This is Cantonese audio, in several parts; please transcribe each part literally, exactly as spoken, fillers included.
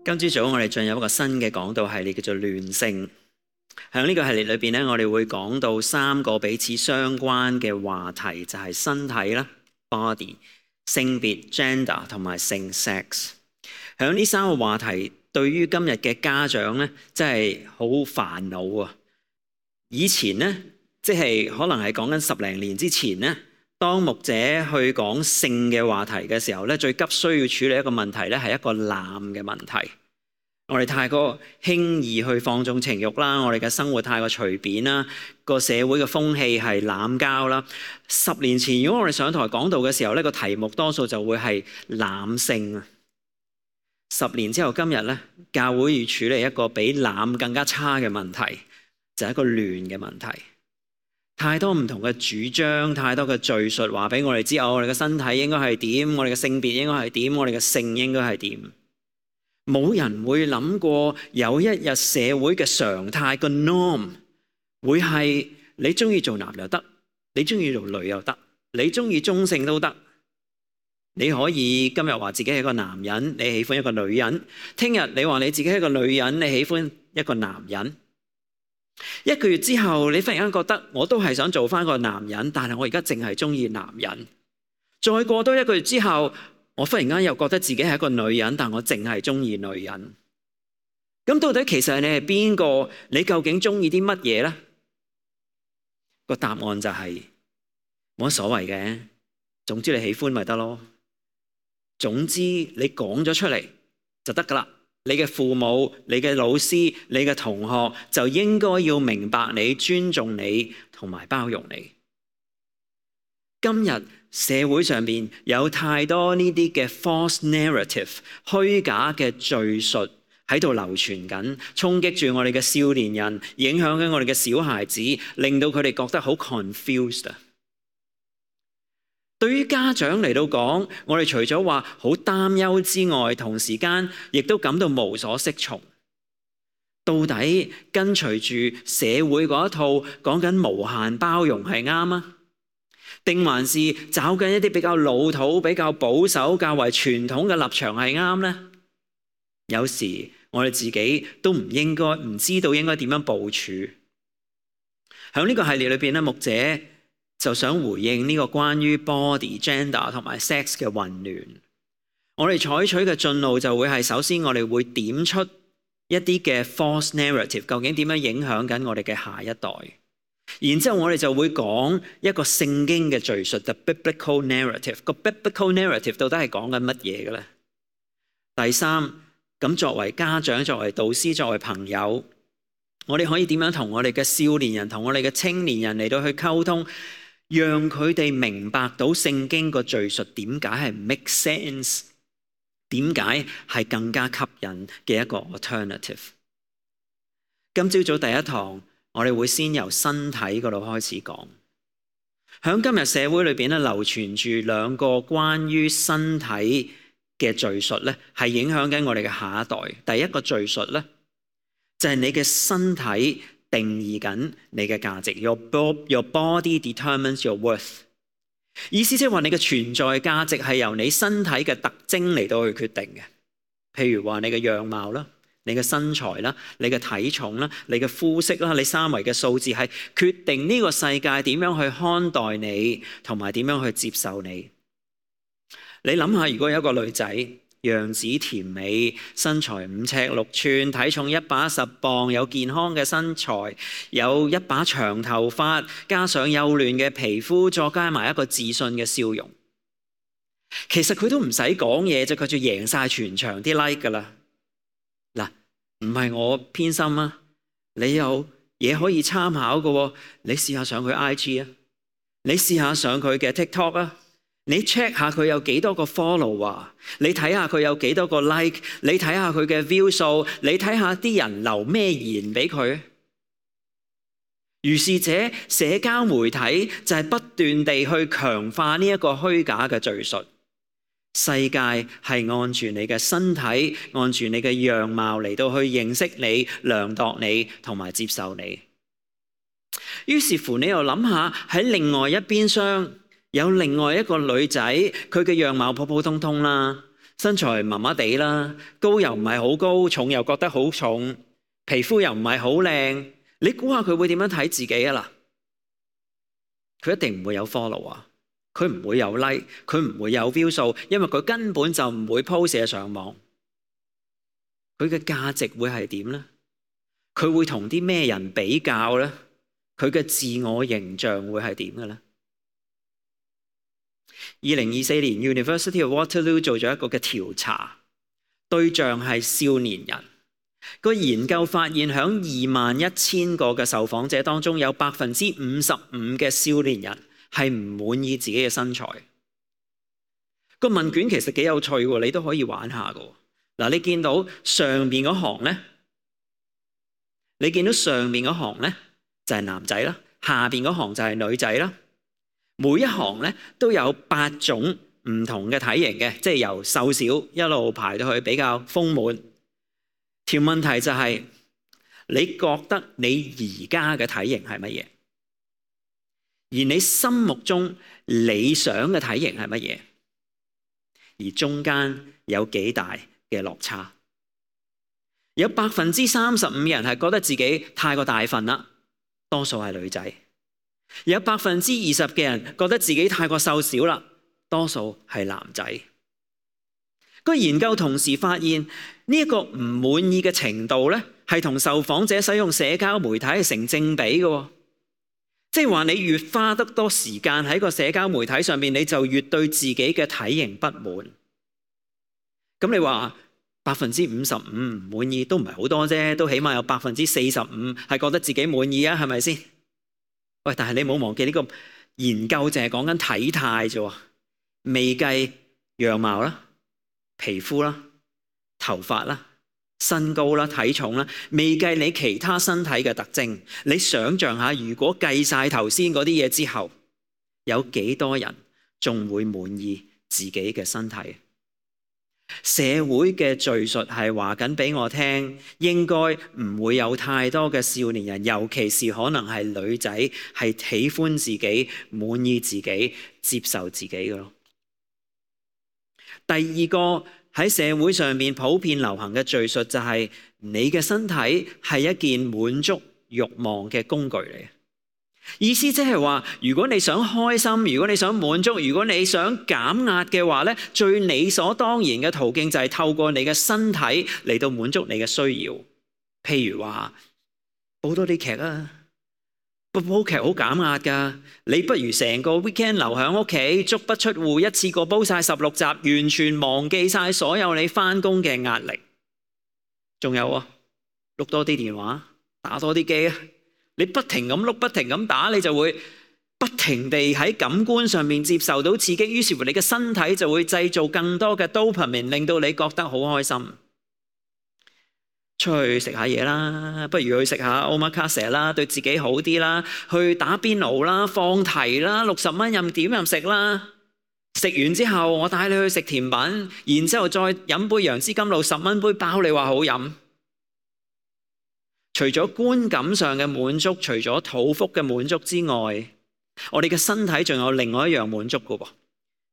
今朝早我哋進入一個新嘅講道系列，叫做亂性。喺呢個系列裏邊咧，我哋會講到三個彼此相關嘅話題，就係身體啦 （body）、性別 （gender） 同埋性 （sex）。喺呢三個話題，對於今日嘅家長咧，真係好煩惱啊！以前咧，即係可能係講緊十零年之前咧，當牧者去講性嘅話題嘅時候咧，最急需要處理一個問題咧，係一個濫嘅問題。我哋太過輕易去放縱情慾啦，我哋嘅生活太過隨便啦，個社會嘅風氣係濫交啦。十年前如果我哋上台講道嘅時候咧，個題目多數就會係濫性啊。十年之後今日咧，教會要處理一個比濫更加差嘅問題，就係一個亂嘅問題。太多唔同嘅主張，太多嘅敘述話俾我哋知，我哋嘅身體應該係點，我哋嘅性別應該係點，我哋嘅性應該係點。冇人會諗過有一日社會嘅常態個 norm 會係你中意做男又得，你中意做女又得，你中意中性都得。你可以今日話自己係一個男人，你喜歡一個女人；聽日你話你自己係一個女人，你喜歡一個男人。一個月之後，你忽然間覺得我都係想做翻個男人，但係我而家淨係中意男人。再過多一個月之後，我忽然間又覺得自己係一個女人，但我淨係中意女人。咁到底其實你係邊個？你究竟中意啲乜嘢呢？個答案就係冇乜所謂嘅，總之你喜歡咪得咯。總之你講咗出嚟就得噶啦。你嘅父母、你嘅老師、你嘅同學就應該要明白你、尊重你同埋包容你。今日社會上面有太多呢啲嘅 false narrative 虛假嘅敘述喺度流傳緊，衝擊住我哋嘅少年人，影響緊我哋嘅小孩子，令到佢哋覺得好 confused。對於家長嚟到講，我哋除咗話好擔憂之外，同時間亦都感到無所適從。到底跟隨住社會嗰一套講緊無限包容係啱啊？定還是找緊一啲比較老土、比較保守、較為傳統嘅立場係啱呢？有時我哋自己都唔應該唔知道應該點樣部署。喺呢個系列裏邊咧，牧者就想回應呢個關於 body、gender 同埋 sex 嘅混亂。我哋採取嘅進路就會係，首先我哋會點出一啲嘅 false narrative， 究竟點樣影響緊我哋嘅下一代。然之後我哋就會講一個聖經嘅敘述 ，the biblical narrative。個 biblical narrative 到底係講緊乜嘢嘅咧？第三，咁作為家長、作為導師、作為朋友，我哋可以點樣同我哋嘅少年人、同我哋嘅青年人嚟到去溝通，讓佢哋明白到聖經個敘述點解係 make sense， 點解係更加吸引嘅一個 alternative。今朝早第一堂，我哋會先由身體嗰度開始講。喺今日社會裏邊咧，流傳住兩個關於身體嘅敘述咧，係影響緊我哋嘅下一代。第一個敘述咧，就係你嘅身體定義緊你嘅價值。Your body determines your worth。意思即係話你嘅存在價值係由你身體嘅特徵嚟到去決定嘅。譬如話你嘅樣貌啦，你嘅身材啦，你嘅體重啦，你嘅膚色啦，你三圍嘅數字係決定呢個世界點樣去看待你，同埋點樣去接受你。你諗下，如果有一個女仔，樣子甜美，身材五尺六寸，體重一百一十磅，有健康嘅身材，有一把長頭髮，加上幼嫩嘅皮膚，再加埋一個自信嘅笑容，其實佢都唔使講嘢啫，佢就贏晒全場啲 like 噶啦。嗱，唔係我偏心啊，你有嘢可以參考嘅，你試下上佢 I G 啊，你試下上佢嘅 TikTok 啊。你 check 下佢有幾多個 follow 啊？你睇下佢有幾多個 like？ 你睇下佢嘅 view 數？你睇下啲人留咩言俾佢？如是者，社交媒體就係不斷地去強化呢一個虛假嘅敘述。世界係按住你嘅身體，按住你嘅樣貌嚟到去認識你、量度你同埋接受你。於是乎，你又諗下喺另外一邊廂，有另外一個女仔，佢嘅樣貌普普通通啦，身材麻麻地啦，高又唔係好高，重又覺得好重，皮膚又唔係好靚，你估下佢會點樣睇自己啊啦？佢一定唔會有 follow 啊，佢唔會有 like， 佢唔會有 view 數，因為佢根本就唔會 post 上網。佢嘅價值會係點呢？佢會同啲咩人比較呢？佢嘅自我形象會係點嘅呢？二零二四年 University of Waterloo 做咗一個嘅調查，對象係少年人。個研究發現，響二萬一千個嘅受訪者當中，有百分之五十五嘅少年人係唔滿意自己嘅身材。個問卷其實幾有趣喎，你都可以玩下㗎。嗱，你見到上面嗰行咧，你見到上面嗰行咧就係男仔啦，下邊嗰行就係女仔啦。每一行咧都有八種唔同嘅體型嘅，即係由瘦小一路排到去比較豐滿。條問題就係，你覺得你而家嘅體型係乜嘢？而你心目中理想嘅體型係乜嘢？而中間有幾大嘅落差？有百分之三十五嘅人係覺得自己太過大份啦，多數係女仔。有百分之二十嘅人覺得自己太過瘦小啦，多數係男仔。個研究同時發現呢一個唔滿意嘅程度咧，係同受訪者使用社交媒體係成正比嘅。即係話你越花得多時間喺個社交媒體上面，你就越對自己嘅體型不滿。咁你話百分之五十五唔滿意都唔係好多啫，都起碼有百分之四十五係覺得自己滿意啊，係咪先？喂，但係你冇忘記呢個研究淨係講緊體態啫，未計樣貌啦、皮膚啦、頭髮啦、身高啦、體重啦，未計你其他身體嘅特徵。你想象下，如果計晒頭先嗰啲嘢之後，有幾多人仲會滿意自己嘅身體？社會嘅敘述係話緊俾我聽，應該唔會有太多嘅少年人，尤其是可能係女仔，係喜歡自己、滿意自己、接受自己嘅咯。第二個喺社會上面普遍流行嘅敘述就係，你嘅身體係一件滿足慾望嘅工具嚟。意思即係話，如果你想開心，如果你想滿足，如果你想減壓嘅話咧，最理所當然嘅途徑就係透過你嘅身體嚟到滿足你嘅需要。譬如話煲多啲劇啊，煲煲劇好減壓噶，你不如成個 weekend 留喺屋企，足不出戶，一次過煲晒十六集，完全忘記晒所有你翻工嘅壓力。仲有啊，碌多啲電話，打多啲機啊。你不停咁碌，不停咁打，你就會不停地喺感官上面接受到刺激，於是乎你嘅身體就會製造更多嘅 dopamine，令到你覺得好開心。出去食下嘢啦，不如去食下 omakase 啦，對自己好啲啦。去打邊爐啦，放題啦，六十蚊任點任食啦。食完之後，我帶你去食甜品，然之後再飲杯楊枝甘露，十蚊杯包，你話好飲。除咗觀感上嘅滿足，除咗肚腹嘅滿足之外，我哋嘅身體仲有另外一樣滿足嘅喎，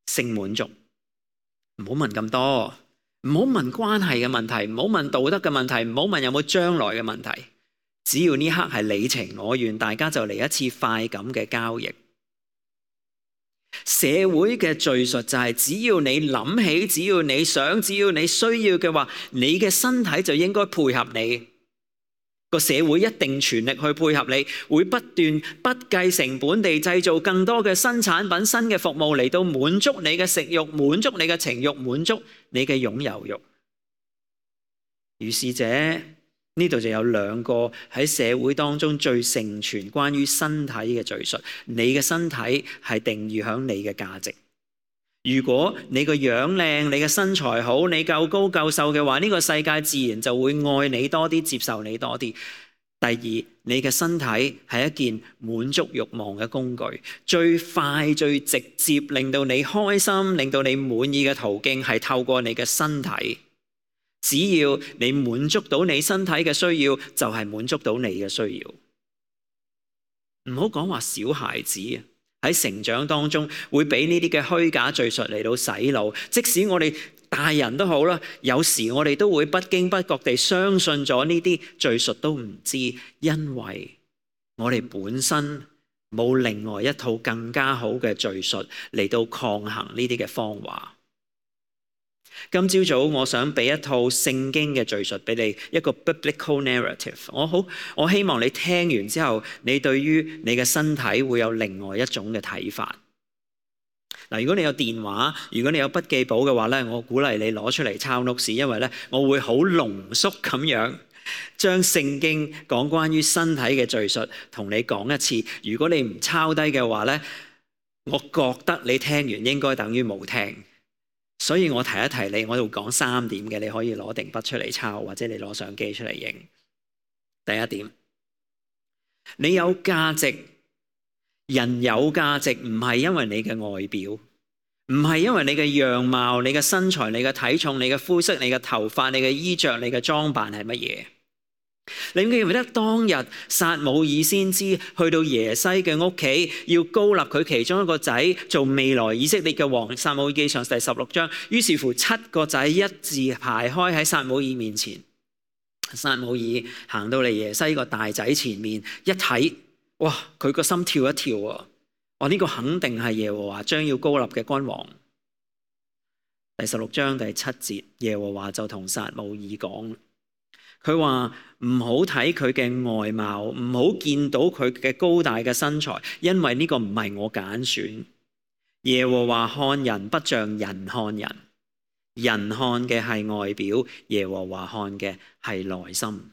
性滿足。唔好問咁多，唔好問關係嘅問題，唔好問道德嘅問題，唔好問有冇將來嘅問題。只要呢刻係你情我願，大家就嚟一次快感嘅交易。社會嘅敘述就係，只要你諗起，只要你想，只要你需要嘅話，你嘅身體就應該配合你。個社會一定全力去配合你，會不斷不計成本地製造更多嘅新產品、新嘅服務嚟到滿足你嘅食慾、滿足你嘅情慾、滿足你嘅擁有慾。於是者呢度就有兩個喺社會當中最盛傳關於身體嘅敘述。你嘅身體係定義響你嘅價值。如果你個樣靚，你嘅身材好，你夠高夠瘦嘅話，呢個世界自然就會愛你多啲，接受你多啲。第二，你嘅身體係一件滿足慾望嘅工具，最快最直接令到你開心、令到你滿意嘅途徑係透過你嘅身體。只要你滿足到你身體嘅需要，就係滿足到你嘅需要。唔好講話小孩子喺成長當中會俾呢啲嘅虛假敘述嚟到洗腦，即使我哋大人都好啦，有時我哋都會不經不覺地相信咗呢啲敘述都唔知，因為我哋本身冇另外一套更加好嘅敘述嚟到抗衡呢啲嘅謊話。今朝早我想俾一套聖經嘅敘述俾你，一個 biblical narrative。我好，我希望你聽完之後，你對於你嘅身體會有另外一種嘅睇法。嗱，如果你有電話，如果你有筆記簿嘅話咧，我鼓勵你攞出嚟抄 notes，因為咧我會好濃縮咁樣將聖經講關於身體嘅敘述同你講一次。如果你唔抄低嘅話咧，我覺得你聽完應該等於冇聽。所以我提一提你，我會講三點嘅，你可以攞定筆出嚟抄，或者你攞相機出嚟影。第一點，你有價值，人有價值唔係因為你嘅外表，唔係因為你嘅樣貌、你嘅身材、你嘅體重、你嘅膚色、你嘅頭髮、你嘅衣着、你嘅裝扮係乜嘢？你記唔記得當日撒母耳先知去到耶西嘅屋企，要膏立佢其中一個仔做未來以色列嘅王？撒母耳記上第十六章，於是乎七個仔一字排開喺撒母耳面前。撒母耳行到嚟耶西個大仔前面一睇，哇！佢個心跳一跳啊！哇！呢個肯定係耶和華將要膏立嘅君王。第十六章第七節，耶和華就同撒母耳講。佢話唔好睇佢嘅外貌，唔好見到佢嘅高大嘅身材，因為呢個唔係我揀選。耶和華看人不像人看人，人看嘅係外表，耶和華看嘅係內心。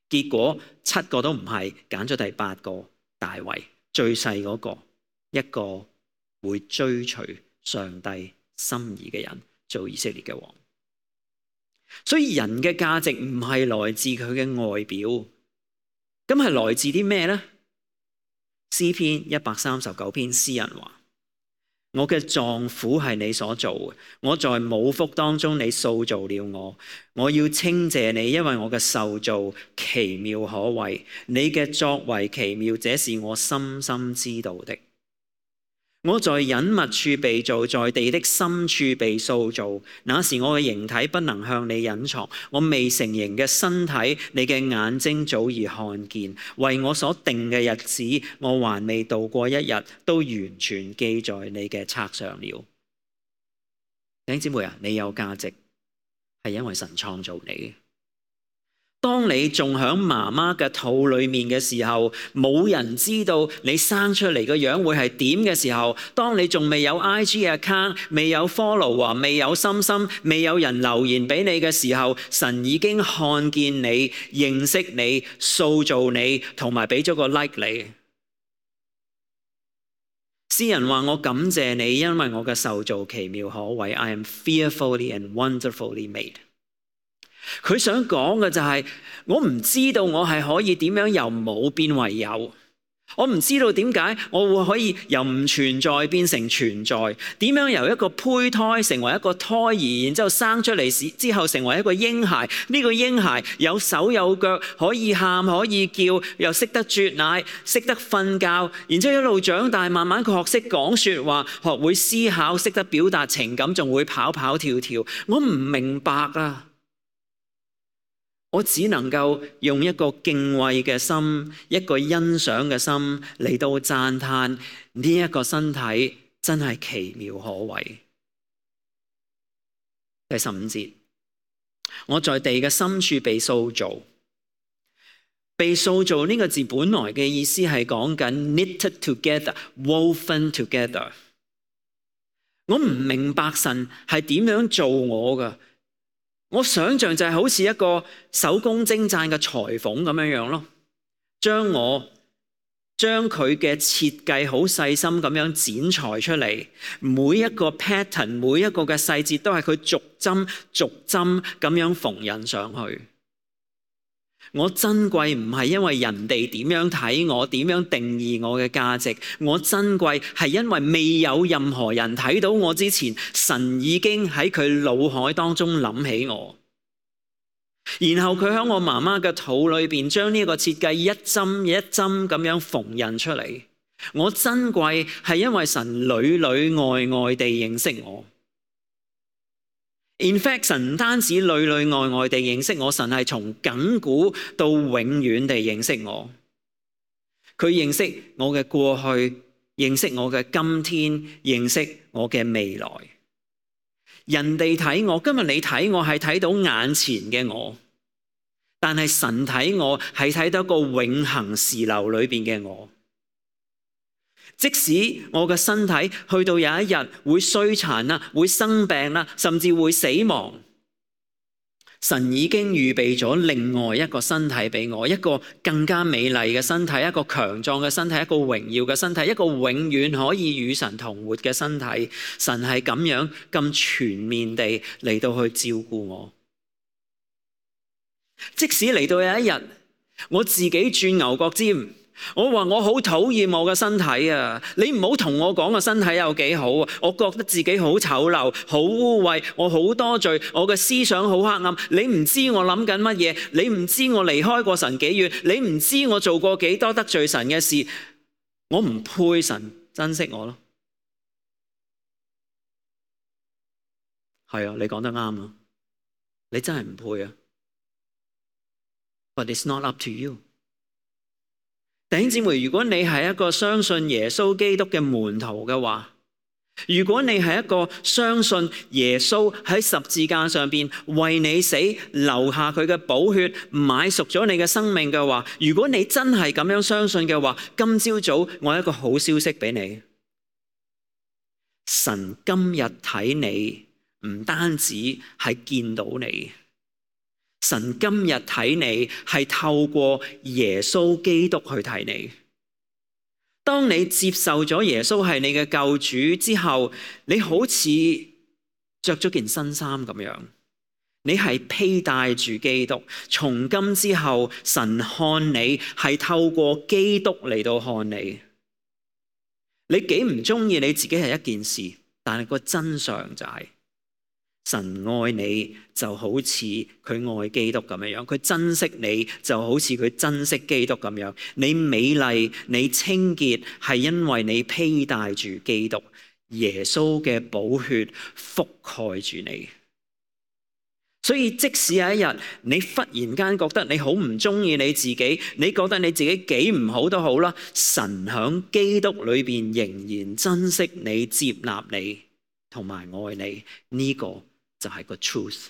結果七個都唔係，揀咗第八個大衛，最細嗰個，一個會追隨上帝心意嘅人做以色列嘅王。所以人嘅價值唔係來自佢嘅外表，咁係來自啲咩呢？詩篇一百三十九篇，詩人話：我嘅臟腑係你所做嘅，我在母腹當中你塑造了我，我要稱謝你，因為我嘅受造奇妙可畏，你嘅作為奇妙，這是我深深知道的。我在隱密處被造，在地的深處被塑造。那時我嘅形體不能向你隱藏，我未成形嘅身體，你嘅眼睛早已看見。為我所定嘅日子，我還未度過一日，都完全記在你嘅冊上了。弟兄姊妹啊，你有價值，係因為神創造你。當你仲喺媽媽嘅肚裏面嘅時候，冇人知道你生出嚟個樣會係點嘅時候，當你仲未有 I G account， 未有 follow， 未有心心，未有人留言俾你嘅時候，神已經看見你、認識你、塑造你，同埋俾咗個 like 你。詩人話：我感謝你，因為我嘅受造奇妙可畏。I am fearfully and wonderfully made。佢想講嘅就係，我唔知道我係可以點樣由冇變為有，我唔知道點解我會可以由唔存在變成存在，點樣由一個胚胎成為一個胎兒，然之後生出嚟之後成為一個嬰孩。呢個嬰孩有手有腳，可以喊可以叫，又識得啜奶，識得瞓覺，然之後一路長大，慢慢佢學識講說話，學會思考，識得表達情感，仲會跑跑跳跳。我唔明白啊！我只能夠用一個敬畏嘅心，一個欣賞嘅心嚟到讚嘆呢一個身體真係奇妙可畏。第十五節，我在地嘅深處被塑造。被塑造呢個字本來嘅意思係講緊 knitted together, woven together。我唔明白神係點樣做我㗎。我想象就係好似一個手工精湛嘅裁縫咁樣樣咯，將我將佢嘅設計好細心咁樣剪裁出嚟，每一個 pattern， 每一個嘅細節都係佢逐針逐針咁樣縫印上去。我珍貴唔係因為人哋點樣睇我，點樣定義我嘅價值，我珍貴係因為未有任何人睇到我之前，神已經喺佢腦海當中諗起我，然後佢喺我媽媽嘅肚裏邊將呢個設計一針一針咁樣縫印出嚟。我珍貴係因為神裏裏外外地認識我。In fact， 神唔單止裏裏外外地認識我，神係從亙古到永遠地認識我。佢認識我嘅過去，認識我嘅今天，認識我嘅未來。人哋睇我，今日你睇我係睇到眼前嘅我，但係神睇我係睇到一個永恆時流裏邊嘅我。即使我嘅身體去到有一日會衰殘啦，會生病啦，甚至會死亡，神已經預備咗另外一個身體俾我，一個更加美麗嘅身體，一個強壯嘅身體，一個榮耀嘅身體，一個永遠可以與神同活嘅身體。神係咁樣咁全面地嚟到去照顧我。即使嚟到有一日我自己轉牛角尖，我話我好討厭我嘅身體啊！你唔好同我講個身體有幾好啊！我覺得自己好醜陋、好污穢，我好多罪，我嘅思想好黑暗。你唔知我諗緊乜嘢，你唔知我離開過神幾遠，你唔知我做過幾多得罪神嘅事，我唔配神珍惜我咯。係啊，你講得啱啊！你真係唔配啊！ But it's not up to you。弟兄姊妹，如果你係一個相信耶穌基督嘅門徒嘅話，如果你係一個相信耶穌喺十字架上邊為你死，留下佢嘅寶血，買贖咗你嘅生命嘅話，如果你真係咁樣相信嘅話，今朝早我有一個好消息俾你。神今日睇你，唔單止係見到你。神今日睇你係透過耶穌基督去睇你。當你接受咗耶穌係你嘅救主之後，你好似着咗件新衫咁樣，你係披戴住基督。從今之後，神看你係透過基督嚟到看你。你幾唔中意你自己係一件事，但係個真相就係、是。神愛你就好似佢愛基督咁樣，佢珍惜你就好似佢珍惜基督咁樣。你美麗，你清潔，係因為你披戴住基督，耶穌嘅寶血覆蓋住你。所以即使有一日你忽然間覺得你好唔中意你自己，你覺得你自己幾唔好都好啦，神響基督裏邊仍然珍惜你、接納你同埋愛你，呢、這個就係個 truth。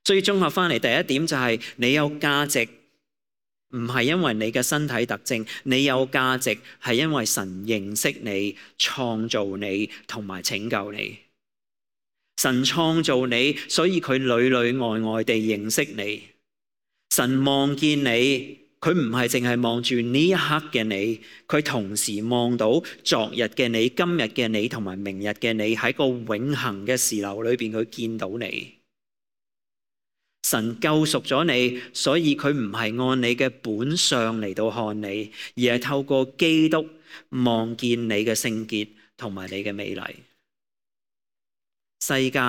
所以綜合翻嚟，第一點就係你有價值，唔係因為你嘅身體特徵，你有價值係因為神認識你、創造你同埋拯救你。神創造你，所以佢裏裏外外地認識你。神望見你，佢唔係淨係望住呢一刻嘅你，佢同時望到昨日嘅你、今日嘅你同埋明日嘅你，喺個永恆嘅時流裏邊，佢見到你。神救贖咗你，所以佢唔係按你嘅本相嚟到看你，而係透過基督望見你嘅聖潔同埋你嘅美麗。世界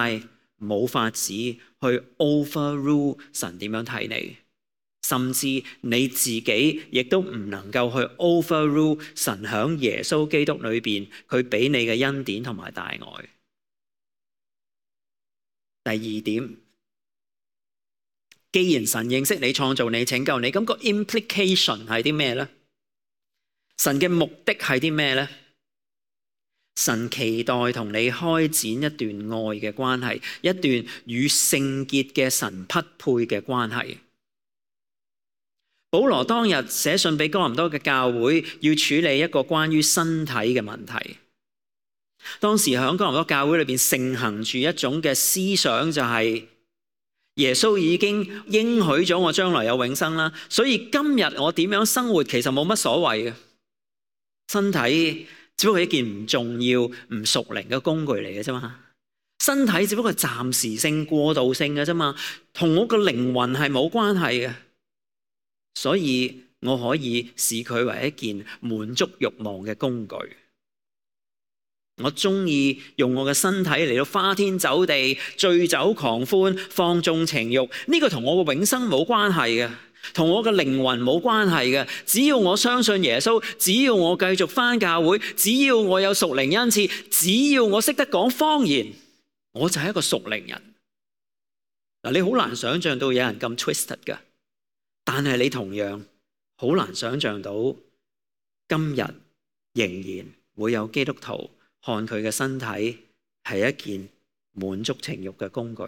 冇法子去 overrule 神點樣睇你。甚至你自己亦都唔能夠去 overrule 神響耶穌基督裏邊佢俾你嘅恩典同埋大愛。第二點，既然神認識你、創造你、拯救你，咁個 implication 係啲咩呢？神嘅目的係啲咩呢？神期待同你開展一段愛嘅關係，一段與聖潔嘅神匹配嘅關係。保羅當日寫信俾哥林多嘅教會，要處理一個關於身體嘅問題。當時喺哥林多教會裏邊盛行住一種嘅思想，就係耶穌已經應許咗我將來有永生啦，所以今日我點樣生活其實冇乜所謂嘅。身體只不過係一件唔重要、唔屬靈嘅工具嚟嘅啫嘛。身體只不過係暫時性、過渡性嘅啫嘛，同我個靈魂係冇關係嘅。所以我可以視佢為一件滿足慾望嘅工具。我中意用我嘅身體嚟到花天酒地、醉酒狂歡、放縱情慾，呢個同我嘅永生冇關係嘅，同我嘅靈魂冇關係嘅。只要我相信耶穌，只要我繼續返教會，只要我有屬靈恩賜，只要我識得講方言，我就係一個屬靈人。嗱，你好難想象到有人咁 twisted 㗎，但係你同樣好難想象到今日仍然會有基督徒看佢嘅身體係一件滿足情慾嘅工具。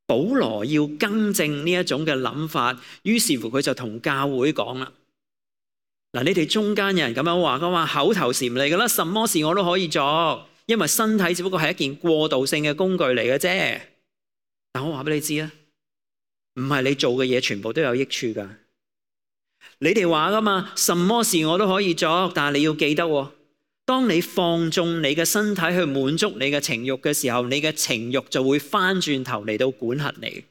保羅要更正呢一種嘅諗法，於是乎佢就同教會講啦。嗱，你哋中間有人咁樣話，佢話口頭禪嚟㗎啦，什麼事我都可以做，因為身體只不過係一件過渡性嘅工具嚟嘅啫。但我話俾你知啊，唔係你做嘅嘢全部都有益處㗎。你哋話㗎嘛，什麼事我都可以做，但係你要記得喎，當你放縱你嘅身體去滿足你嘅情慾嘅時候，你嘅情慾就會翻轉頭嚟到管轄你。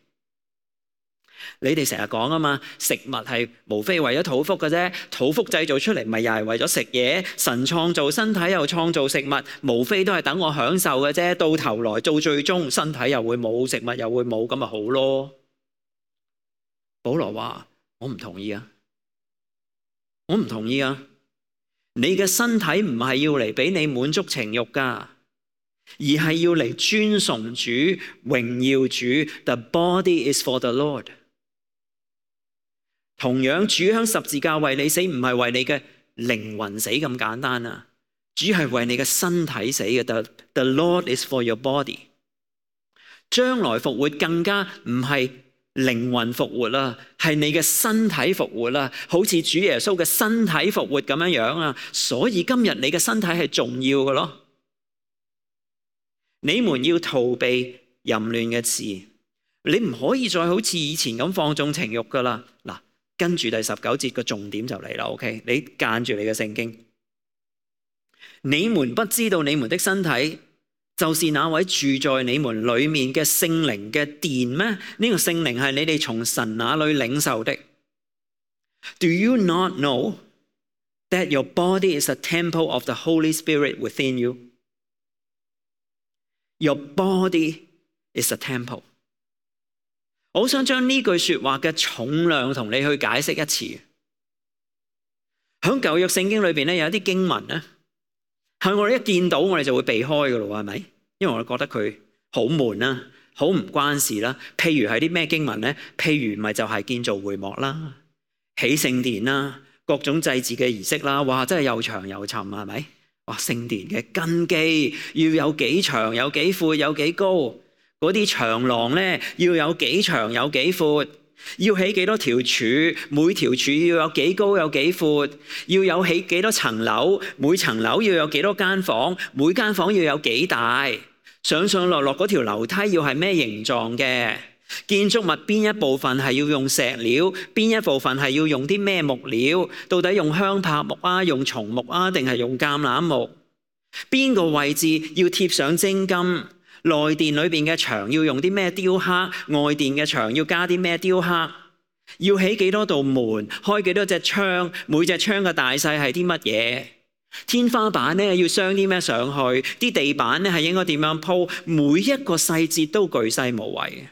你哋成日講啊嘛，食物係無非為咗肚腹嘅啫，肚腹製造出嚟咪又係為咗食嘢。神創造身體又創造食物，無非都係等我享受嘅啫。到頭來到最終，身體又會冇，食物又會冇，咁咪好咯。保羅話：我唔同意啊，我唔同意啊！你嘅身體唔係要嚟俾你滿足情慾噶，而係要嚟尊崇主、榮耀主。The body is for the Lord。同樣，主響十字架為你死，唔係為你嘅靈魂死咁簡單啊！主係為你嘅身體死嘅。The, the Lord is for your body。將來復活更加唔係靈魂復活啦，係你嘅身體復活啦，好似主耶穌嘅身體復活咁樣樣啊！所以今日你嘅身體係重要嘅咯。你們要逃避淫亂嘅事，你唔可以再好似以前咁放縱情慾噶啦。嗱，跟住第十九節個重點就嚟啦。OK，你間住你嘅聖經。你們不知道你們的身體就是那位住在你們裏面嘅聖靈嘅殿咩？呢、這個聖靈係你哋從神那裏領受的。Do you not know that your body is a temple of the Holy Spirit within you? Your body is a temple。我想將呢句說話嘅重量同你去解釋一次。喺舊約聖經裏邊咧，有一啲經文咧，係我哋一見到我哋就會避開噶咯，係咪？因為我哋覺得佢好悶啦，好唔關事啦。譬如係啲咩經文咧？譬如咪就係建造會幕啦、起聖殿啦、各種祭祀嘅儀式啦。哇，真係又長又沉，係咪？哇，聖殿嘅根基要有幾長、有幾闊、有幾高，嗰啲長廊咧要有幾長、有幾闊，要起幾多條柱，每條柱要有幾高、有幾闊，要有起幾多層樓，每層樓要有幾多間房，每間房要有幾大，上上落落嗰條樓梯要係咩形狀嘅，建築物邊一部分係要用石料，邊一部分係要用啲咩木料，到底用香柏木啊，用松木啊，定係用橄欖木，邊個位置要貼上精金，內殿裏邊嘅牆要用啲咩雕刻，外殿嘅牆要加啲咩雕刻，要起幾多道門，開幾多隻窗，每隻窗嘅大細係啲乜嘢，天花板咧要鑲啲咩上去，啲地板咧係應該點樣鋪，每一個細節都巨細無遺。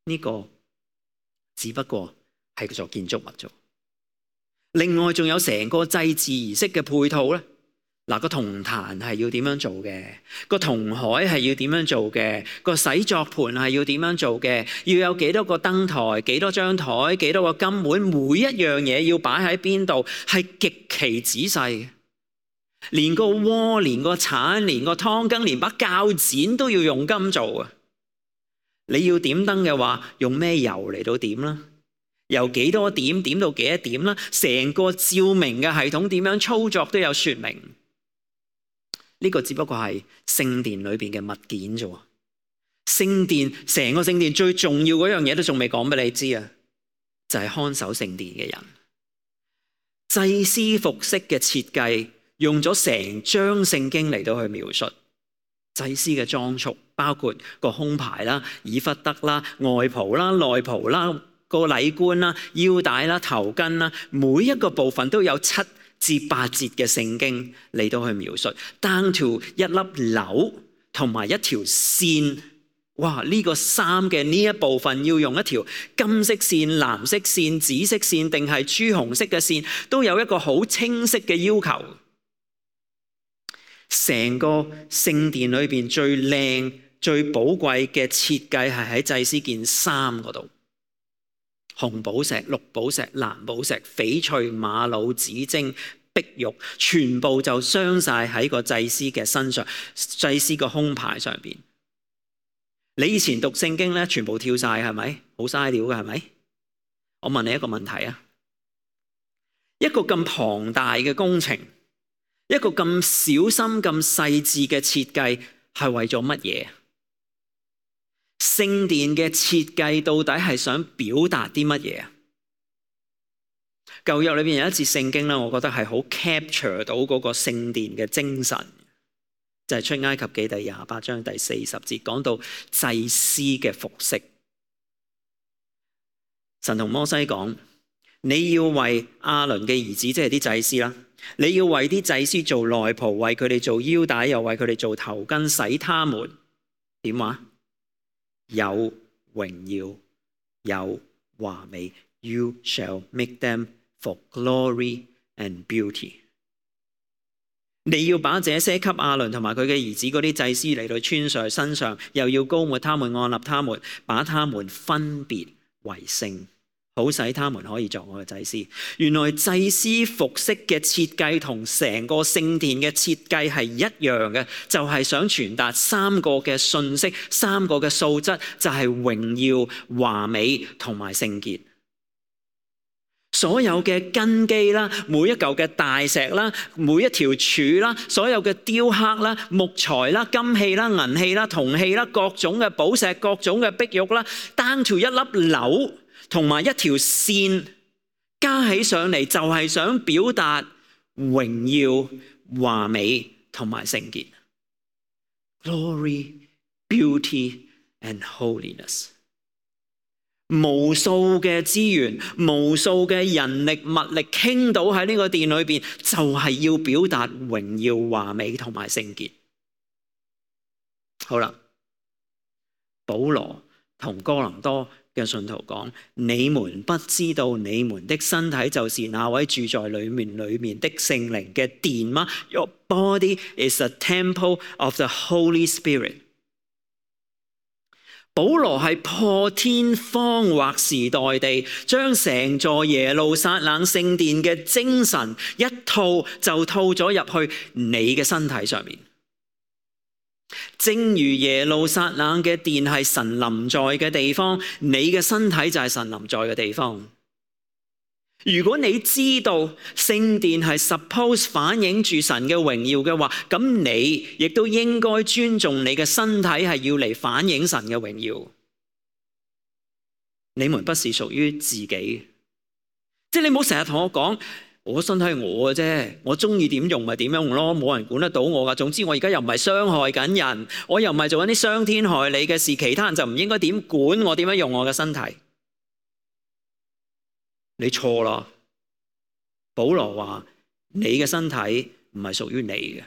呢個只不過係座建築物啫。另外仲有成個祭祀儀式嘅配套咧。嗱，個銅壇係要點樣做嘅？個銅海係要點樣做嘅？個洗作盤係要點樣做嘅？要有幾多個燈台？幾多張台？幾多個金碗？每一樣嘢要擺喺邊度？係極其仔細。連個鍋、連個鏟、連個湯羹、連把鉸剪都要用金做啊！你要點燈嘅話，用咩油嚟到點啦？由幾多點點到幾多點啦？成個照明嘅系統點樣操作都有說明。呢個只不過係聖殿裏邊嘅物件啫。聖殿成個聖殿最重要嗰樣嘢都仲未講俾你知啊，就係看守聖殿嘅人。祭司服飾嘅設計用咗成章聖經嚟到去描述祭司嘅裝束，包括個胸牌啦、以弗得啦、外袍啦、內袍啦、個禮冠啦、腰帶啦、頭巾啦，每一個部分都有七至八節嘅聖經嚟到去描述 down to 一粒紐同埋一條線。哇！呢個衫嘅呢一部分要用一條金色線、藍色線、紫色線定係朱紅色嘅線，都有一個好清晰嘅要求。成個聖殿裏邊最靚、最寶貴嘅設計係喺祭司件衫嗰度，紅寶石、綠寶石、藍寶石、翡翠、瑪瑙、紫晶、碧玉，全部就鑲晒喺個祭司嘅身上，祭司個胸牌上邊。你以前讀聖經咧，全部跳晒係咪？好嘥料嘅係咪？我問你一個問題啊，一個咁龐大嘅工程，一個咁小心、咁細緻嘅設計，係為咗乜嘢？聖殿嘅設計到底係想表達啲乜嘢啊？舊約裏邊有一節聖經咧，我覺得係好 capture 到嗰個聖殿嘅精神，就係出埃及記第廿八章第四十節，講到祭司嘅服飾。神同摩西講：你要為亞倫嘅兒子，即係啲祭司啦，你要為啲祭司做內袍，為佢哋做腰帶，又為佢哋做頭巾，使他們點話？有榮耀，有華美。You shall make them for glory and beauty。你要把這些給亞倫同埋佢嘅兒子嗰啲祭司嚟到穿上身上，又要膏抹他們，按立他們，把他們分別為聖，好使他們可以作我嘅祭司。原來祭司服飾嘅設計同成個聖殿嘅設計係一樣嘅，就係想傳達三個嘅信息，三個嘅素質，就係榮耀、華美同埋聖潔。所有嘅根基啦，每一嚿嘅大石啦，每一條柱啦，所有嘅雕刻啦、木材啦、金器啦、銀器啦、銅器啦，各種嘅寶石、各種嘅碧玉啦，down to一粒紐同埋一條線加起上嚟，就係想表達榮耀、華美同埋聖潔。Glory, beauty and holiness。無數嘅資源，無數嘅人力物力傾倒喺呢個殿裏邊，就係要表達榮耀、華美同埋聖潔。好啦，保羅同哥林多嘅信徒講：你們不知道你們的身體就是那位住在裏面裏面的聖靈嘅殿嗎？ Your body is a temple of the Holy Spirit。保羅係破天荒劃時代地將成座耶路撒冷聖殿嘅精神一套就套咗入去你嘅身體上面。正如耶路撒冷嘅殿係神臨在嘅地方，你嘅身體就係神臨在嘅地方。如果你知道聖殿係 suppose 反映住神嘅榮耀嘅話，咁你亦都應該尊重你嘅身體係要嚟反映神嘅榮耀。你們不是屬於自己，即係你唔好成日同我講，我身體係我嘅啫，我中意點用咪點用咯，冇人管得到我噶。總之我而家又唔係傷害緊人，我又唔係做緊啲傷天害理嘅事，其他人就唔應該點管我點樣用我嘅身體。你錯啦！保羅話你嘅身體唔係屬於你嘅，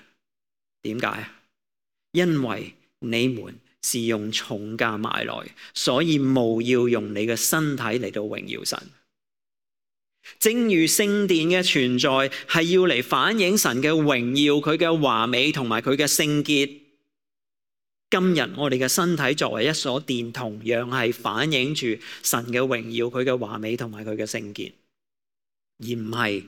點解？因為你們是用重價買來，所以務要用你嘅身體嚟到榮耀神。正如聖殿嘅存在係要嚟反映神嘅榮耀、佢嘅華美同埋佢嘅聖潔，今日我哋嘅身體作為一所殿，同樣係反映住神嘅榮耀、佢嘅華美同埋佢嘅聖潔，而唔係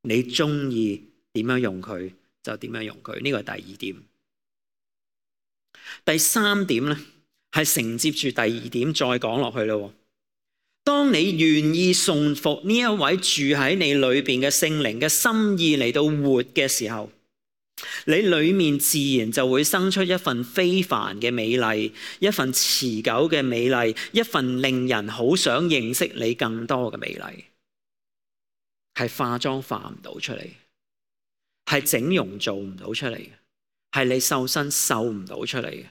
你中意點樣用佢就點樣用佢。呢個係第二點。第三點咧，係承接住第二點再講落去咯。當你願意順服呢一位住喺你裏邊嘅聖靈嘅心意嚟到活嘅時候，你裏面自然就會生出一份非凡嘅美麗，一份持久嘅美麗，一份令人好想認識你更多嘅美麗。係化妝化唔到出嚟，係整容做唔到出嚟，係你瘦身瘦唔到出嚟嘅。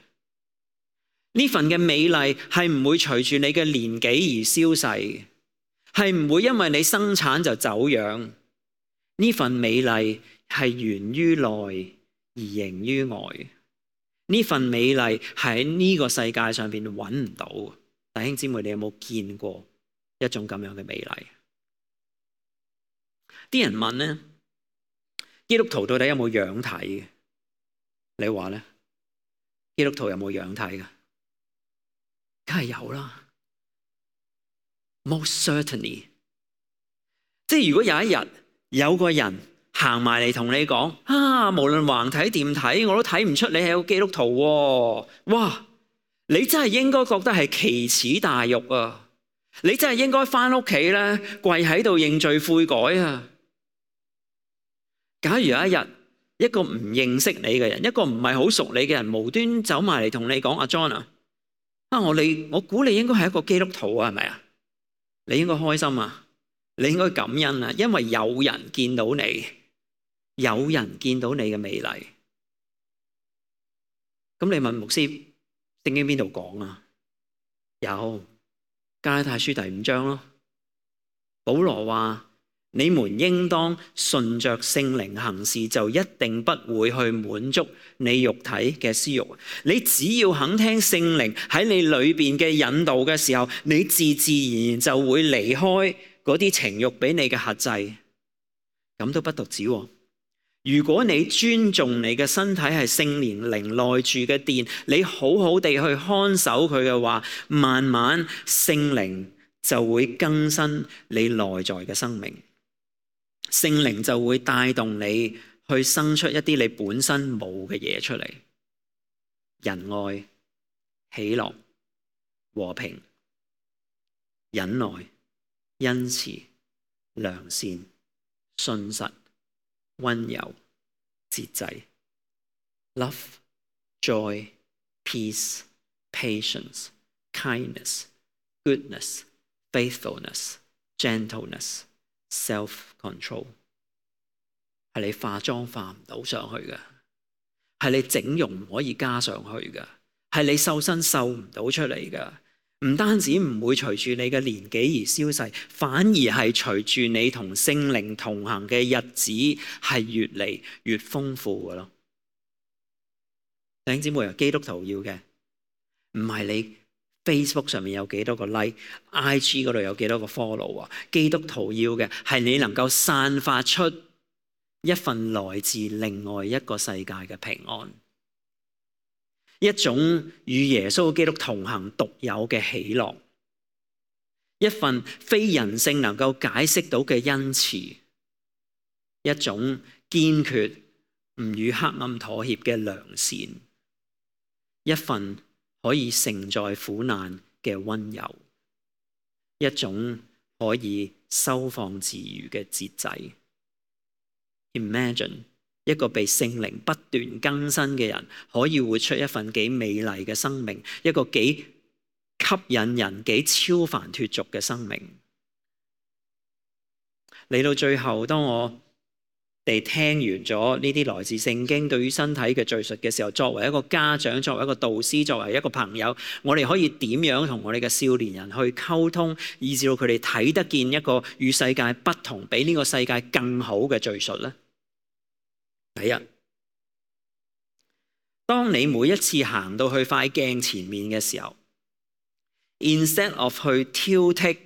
呢份嘅美麗係唔會隨住你嘅年紀而消逝嘅，係唔會因為你生產就走樣。呢份美麗係源於內而形於外。呢份美麗係喺呢個世界上邊揾唔到。弟兄姊妹，你有冇見過一種咁樣嘅美麗？啲人問咧，基督徒到底有冇樣睇嘅？你話咧？基督徒有冇樣睇㗎？梗係有啦 ，most certainly。即係如果有一日有個人行埋嚟同你講啊，無論橫睇掂睇，我都睇唔出你係個基督徒喎，哇！你真係應該覺得係奇恥大辱啊！你真係應該返屋企咧，跪喺度認罪悔改啊！假如有一日一個唔認識你嘅人，一個唔係好熟你嘅人，無端走埋嚟同你講：阿 John 啊，啊我你我估你應該係一個基督徒啊，係咪啊？你應該開心啊，你應該感恩啊，因為有人見到你，有人見到你嘅美麗。咁你問牧師，聖經邊度講啊？有加拉太書第五章咯。保羅話：你們應當順着聖靈行事，就一定不會去滿足你肉體嘅私欲。你只要肯聽聖靈喺你裏邊嘅引導嘅時候，你自自然然就會離開嗰啲情欲俾你嘅轄制。咁都不獨止喎。如果你尊重你嘅身體係聖靈靈內住嘅殿，你好好地去看守佢嘅話，慢慢聖靈就會更新你內在嘅生命。聖靈就會帶動你去生出一啲你本身冇嘅嘢出嚟，仁愛、喜樂、和平、忍耐、恩慈、良善、信實、溫柔、節制。Love, joy, peace, patience, kindness, goodness, faithfulness, gentleness, self-control。 係你化妝化唔到上去嘅，係你整容唔可以加上去嘅，係你瘦身瘦唔到出嚟嘅。唔單止唔會隨住你嘅年紀而消逝，反而係隨住你同聖靈同行嘅日子係越嚟越豐富嘅咯。弟兄姊妹啊，基督徒要嘅唔係你 Facebook 上面有幾多個 like，I G 嗰度有幾多個 follow 啊。基督徒要嘅係你能夠散發出一份來自另外一個世界嘅平安，一種與耶穌基督同行獨有嘅喜樂，一份非人性能夠解釋到嘅恩慈，一種堅決唔與黑暗妥協嘅良善，一份可以承載苦難嘅溫柔，一種可以收放自如嘅節制。Imagine 一個被聖靈不斷更新嘅人，可以活出一份幾美麗嘅生命，一個幾吸引人、幾超凡脫俗嘅生命。嚟到最後，當我哋聽完咗呢啲來自聖經對於身體嘅敘述嘅時候，作為一個家長、作為一個導師、作為一個朋友，我哋可以點樣同我哋嘅少年人去溝通，以至到佢哋睇得見一個與世界不同、比呢個世界更好嘅敘述呢？第一，當你每一次行到去塊鏡前面嘅時候， instead of 去挑剔，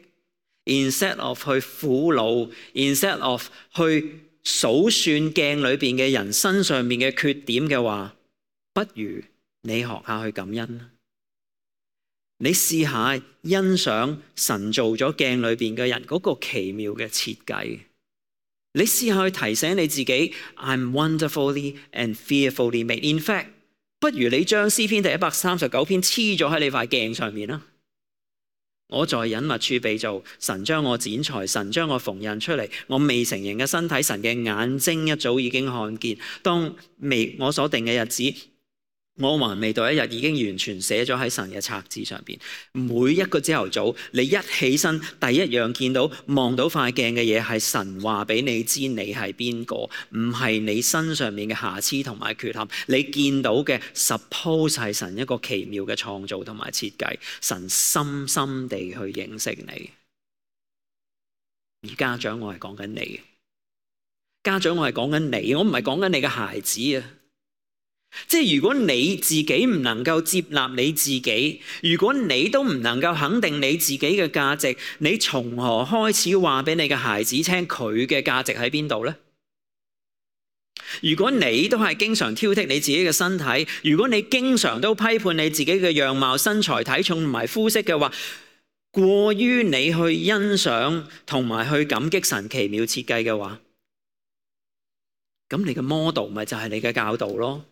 instead of 去苦惱， instead of 去數算鏡裏邊嘅人身上面嘅缺點嘅話，不如你學下去感恩。你試下欣賞神做咗鏡裏邊嘅人嗰個奇妙嘅設計。你試下去提醒你自己 I'm wonderfully and fearfully made。 In fact， 不如你將詩篇第一百三十九篇黐咗喺你塊鏡上面啦。我在隱密處被造，神將我剪裁，神將我縫印出嚟。我未成形嘅身體，神嘅眼睛一早已經看見。當未我所定嘅日子，我還未到一日，已經完全寫咗喺神嘅冊子上邊。每一個朝頭早，你一起身，第一樣見到望到塊鏡嘅嘢係神話俾你知你係邊個，唔係你身上面嘅瑕疵同埋缺陷。你見到嘅 suppose 係神一個奇妙嘅創造同埋設計，神深深地去認識你。而家長，我係講緊你，家長，我係講緊你，我唔係講緊你嘅孩子啊。即係如果你自己唔能夠接納你自己，如果你都唔能夠肯定你自己嘅價值，你從何開始話俾你嘅孩子聽佢嘅價值喺邊度呢？如果你都係經常挑剔你自己嘅身體，如果你經常都批判你自己嘅樣貌、身材、體重同埋膚色嘅話，過於你去欣賞同埋去感激神奇妙設計嘅話，咁你嘅 model 咪就係你嘅教導咯。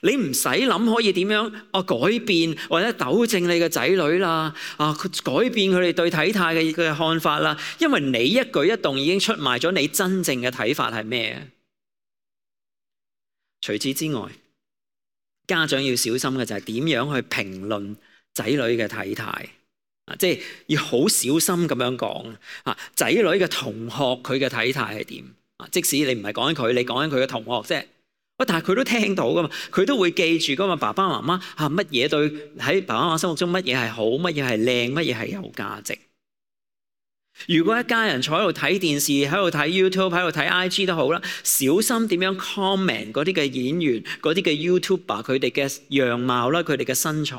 你唔使諗可以點樣啊改變或者糾正你嘅仔女啦，啊改變佢哋對體態嘅嘅看法啦，因為你一舉一動已經出賣咗你真正嘅睇法係咩？除此之外，家長要小心嘅就係點樣去評論仔女嘅體態啊，即係要好小心咁樣講啊，仔女嘅同學佢嘅體態係點啊？即使你唔係講緊佢，你講緊佢嘅同學啫。但係佢都聽到噶嘛，佢都會記住噶嘛。爸爸媽媽嚇乜嘢對喺爸爸媽媽心目中乜嘢係好，乜嘢係靚，乜嘢係有價值。如果一家人坐喺度睇電視，喺度睇 YouTube， 喺度睇 I G 都好啦，小心點樣 comment 嗰啲嘅演員、嗰啲嘅 YouTuber 佢哋嘅樣貌啦，佢哋嘅身材。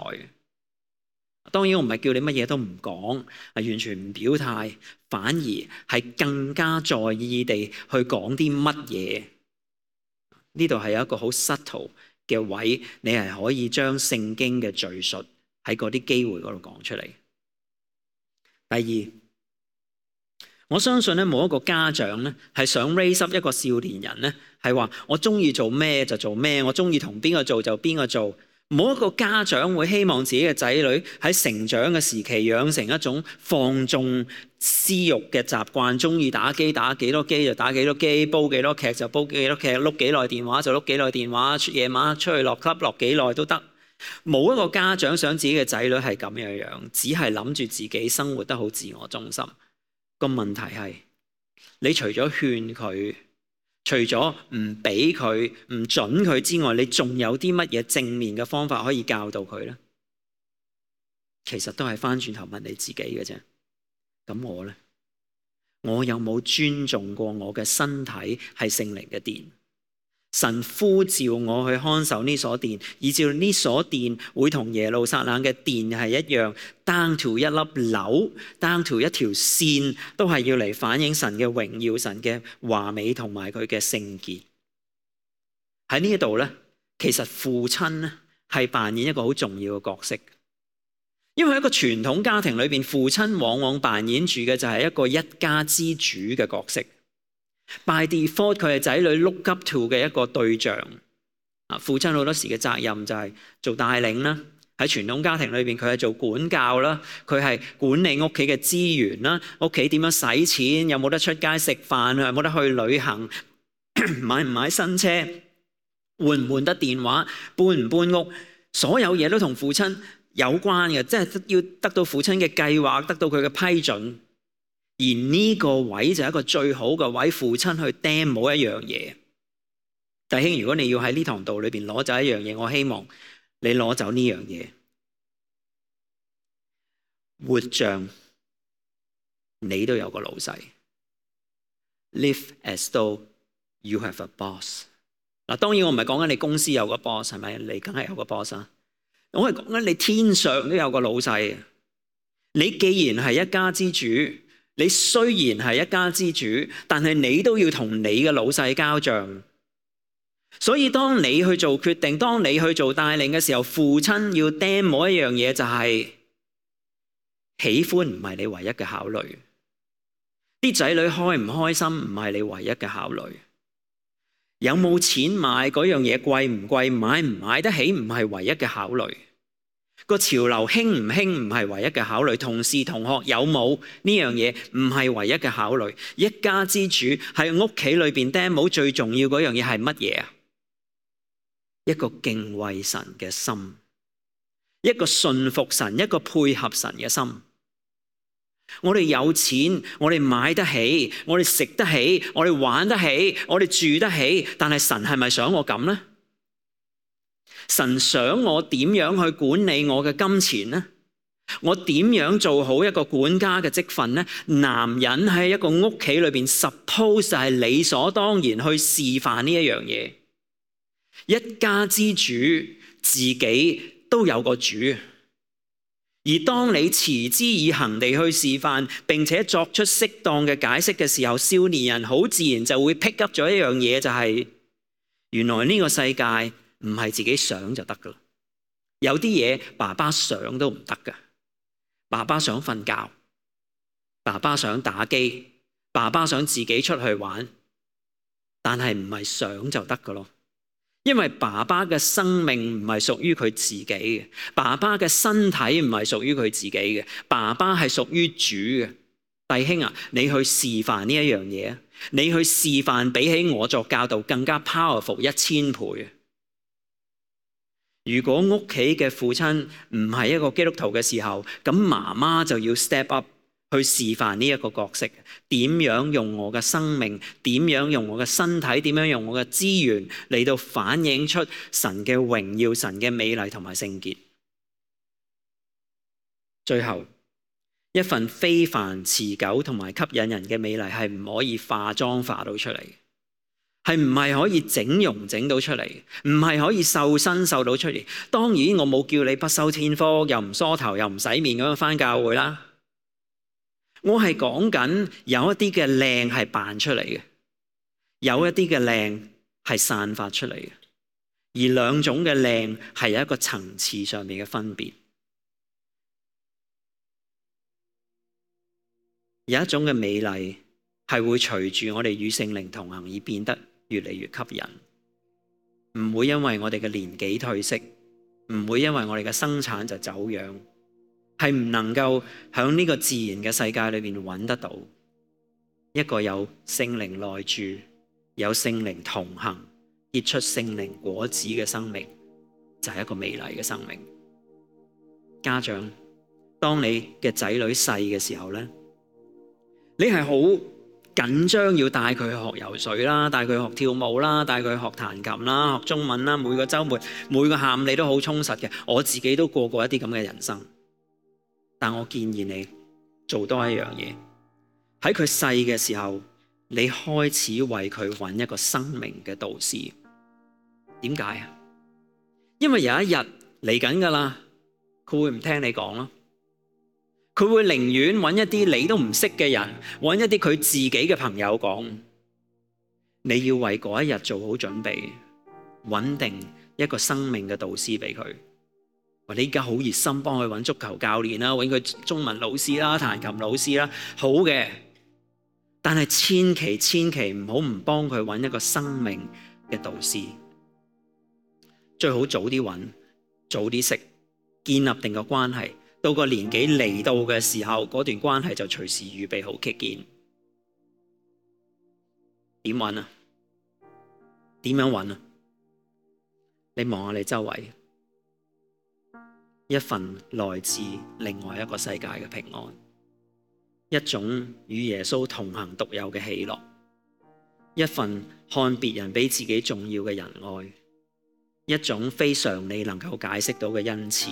當然我唔係叫你乜嘢都唔講，係完全唔表態，反而係更加在意地去講啲乜嘢。呢度係有一個好 subtle 嘅位，你係可以將聖經嘅敘述喺嗰啲機會嗰度講出嚟。第二，我相信咧冇一個家長咧係想 raise up 一個少年人咧係話我中意做咩就做咩，我中意同邊個做就邊個做。冇一個家長會希望自己嘅仔女喺成長嘅時期養成一種放縱私欲嘅習慣，中意打機打幾多機就打幾多機，煲幾多劇就煲幾多劇，碌幾耐電話就碌幾耐電話，夜晚出去落 club 落幾耐都得。冇一個家長想自己嘅仔女係咁樣樣，只係諗住自己生活得好自我中心。個問題係，你除咗勸佢，除咗唔俾佢、唔准佢之外，你仲有啲乜嘢正面嘅方法可以教導佢呢？其實都係翻轉頭問你自己嘅啫。咁我呢？我有冇尊重過我嘅身體係聖靈嘅殿？神呼召我去看守呢所殿，以至呢所殿會同耶路撒冷嘅殿係一樣 ，down to 一粒紐 ，down to 一條線，都係要嚟反映神嘅榮耀、神嘅華美同埋佢嘅聖潔。喺呢一度咧，其實父親咧係扮演一個好重要嘅角色，因為喺一個傳統家庭裏邊，父親往往扮演住嘅就係一個一家之主嘅角色。By default， 佢係仔女 look up to 嘅一個對象。啊，父親好多時嘅責任就係做帶領啦。喺傳統家庭裏邊，佢係做管教啦，佢係管理屋企嘅資源啦，屋企點樣使錢，有冇得出街食飯，有冇得去旅行，買唔買新車，換唔換得電話，搬唔搬屋，所有嘢都同父親有關嘅，即係要得到父親嘅計劃，得到佢嘅批准。而呢個位就係一個最好嘅位，父親去 demo 一樣嘢。弟兄，如果你要喺呢堂道裏邊攞走一樣嘢，我希望你攞走呢樣嘢，活像你都有個老細。Live as though you have a boss。嗱，當然我唔係講緊你公司有個 boss， 係咪？你梗係有個 boss 啊！我係講緊你天上都有個老細。你既然係一家之主，你雖然係一家之主，但係你都要同你嘅老細交賬。所以當你去做決定，當你去做帶領嘅時候，父親要 demo 一樣嘢，就係喜歡唔係你唯一嘅考慮。啲仔女開唔開心唔係你唯一嘅考慮。有冇錢買嗰樣嘢貴唔貴，買唔買得起唔係唯一嘅考慮。個潮流興唔興唔係唯一嘅考慮，同事同學有冇呢樣嘢唔係唯一嘅考慮。一家之主喺屋企裏邊 demo 最重要嗰樣嘢係乜嘢啊？一個敬畏神嘅心，一個信服神，一個配合神嘅心。我哋有錢，我哋買得起，我哋食得起，我哋玩得起，我哋住得起，但係神係咪想我咁呢？神想我點樣去管理我嘅金錢呢？我點樣做好一個管家嘅職分呢？男人喺一個屋企裏邊 suppose 係理所當然去示範呢一樣嘢。一家之主自己都有個主，而當你持之以恆地去示範，並且作出適當嘅解釋嘅時候，少年人好自然就會 pick up 咗一樣嘢，就係原來呢個世界唔係自己想就得噶啦。有啲嘢爸爸想都唔得噶。爸爸想瞓覺，爸爸想打機，爸爸想自己出去玩，但係唔係想就得噶咯。因為爸爸嘅生命唔係屬於佢自己嘅，爸爸嘅身體唔係屬於佢自己嘅，爸爸係屬於主嘅。弟兄啊，你去示範呢一樣嘢啊，你去示範比起我作教導更加 powerful 一千倍。如果屋企嘅父親唔係一個基督徒嘅時候，咁媽媽就要 step up 去示範呢一個角色，點樣用我嘅生命，點樣用我嘅身體，點樣用我嘅資源嚟到反映出神嘅榮耀、神嘅美麗同埋聖潔。最後，一份非凡、持久同埋吸引人嘅美麗係唔可以化妝化到出嚟，係唔係可以整容整到出嚟，唔係可以瘦身瘦到出嚟。當然我冇叫你不修邊幅，又唔梳頭，又唔洗面咁樣返教會啦。我係講緊有一啲嘅靚係扮出嚟嘅，有一啲嘅靚係散發出嚟嘅，而兩種嘅靚係有一個層次上面嘅分別。有一種嘅美麗係會隨住我哋與聖靈同行而變得越嚟越吸引，唔會因為我哋嘅年紀退色，唔會因為我哋嘅生產就走樣，係唔能夠喺呢個自然嘅世界裏面揾得到一個有聖靈內住、有聖靈同行、結出聖靈果子嘅生命，就係一個美麗嘅生命。家長，當你嘅仔女細嘅時候呢，你係好緊張要帶佢去學游水啦，帶佢學跳舞啦，帶佢去學彈琴啦，學中文啦，每個週末每個下午你都好充實嘅。我自己都過過一啲咁嘅人生，但我建議你做多一樣嘢，喺佢細嘅時候，你開始為佢揾一個生命嘅導師。點解啊？因為有一日嚟緊噶啦，佢會唔聽你講咯。佢會寧願揾一啲你都唔識嘅人，揾一啲佢自己嘅朋友講。你要為嗰一日做好準備，穩定一個生命嘅導師俾佢。你而家好熱心幫佢揾足球教練啦，揾佢中文老師啦，彈琴老師啦，好嘅。但係千祈千祈唔好唔幫佢揾一個生命嘅導師。最好早啲揾，早啲識，建立定個關係。到個年紀嚟到嘅時候，嗰段關係就隨時預備好擊劍。點揾啊？點樣揾啊？你望下你周圍，一份來自另外一個世界嘅平安，一種與耶穌同行獨有嘅喜樂，一份看別人比自己重要嘅仁愛，一種非常理能夠解釋到嘅恩慈，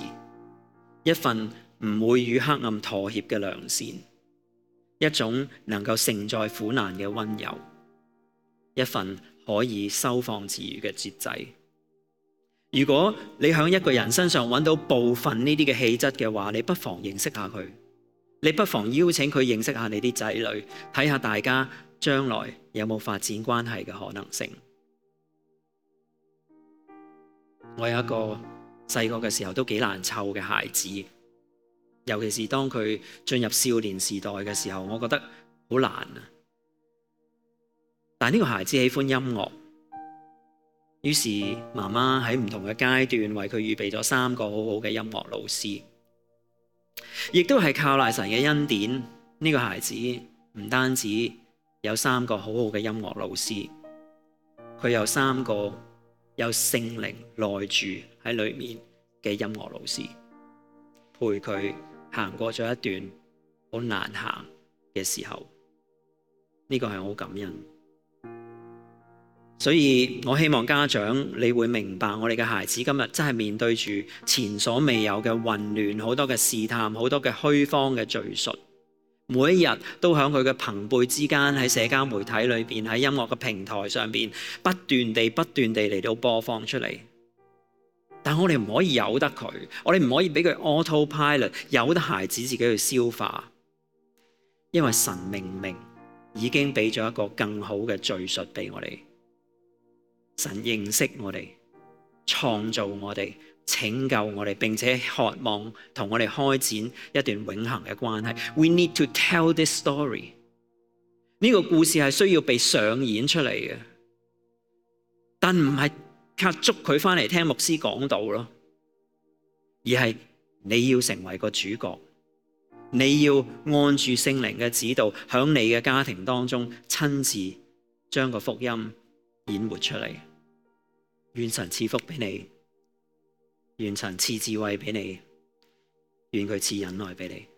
一份唔會與黑暗妥協嘅良善，一種能夠承載苦難嘅溫柔，一份可以收放自如嘅節制。如果你喺一個人身上揾到部分呢啲嘅氣質嘅話，你不妨認識下佢，你不妨邀請佢認識下你啲仔女，睇下大家將來有冇發展關係嘅可能性。我有一個細個嘅時候都幾難湊嘅孩子，尤其是當佢進入少年時代嘅時候，我覺得好難啊。但呢個孩子喜歡音樂，於是媽媽喺唔同嘅階段為佢預備咗三個好好嘅音樂老師，亦都係靠賴神嘅恩典，呢個孩子唔單止有三個好好嘅音樂老師，佢有三個有聖靈內住喺裏面嘅音樂老師，陪佢行過咗一段好難行嘅時候，呢個係好感恩。所以我希望家長你會明白，我哋嘅孩子今日真係面對住前所未有嘅混亂，好多嘅試探，好多嘅虛謊嘅敘述，每一日都喺佢嘅朋輩之間，喺社交媒體裏邊，喺音樂嘅平台上邊不斷地不斷地嚟到播放出嚟。但我哋唔可以由得佢，我哋唔可以俾佢 autopilot， 由得孩子自己去消化，因為神明明已經俾咗一個更好嘅敘述俾我哋。神認識我哋，創造我哋，拯救我哋，並且渴望同我哋開展一段永恆嘅關係。We need to tell this story。呢個故事係需要被上演出嚟嘅，但唔係靠捉佢翻嚟聽牧師講道咯，而係你要成為個主角，你要按住聖靈嘅指導，響你嘅家庭當中親自將個福音演活出嚟。願神賜福俾你，願神賜智慧俾你，願佢賜忍耐俾你。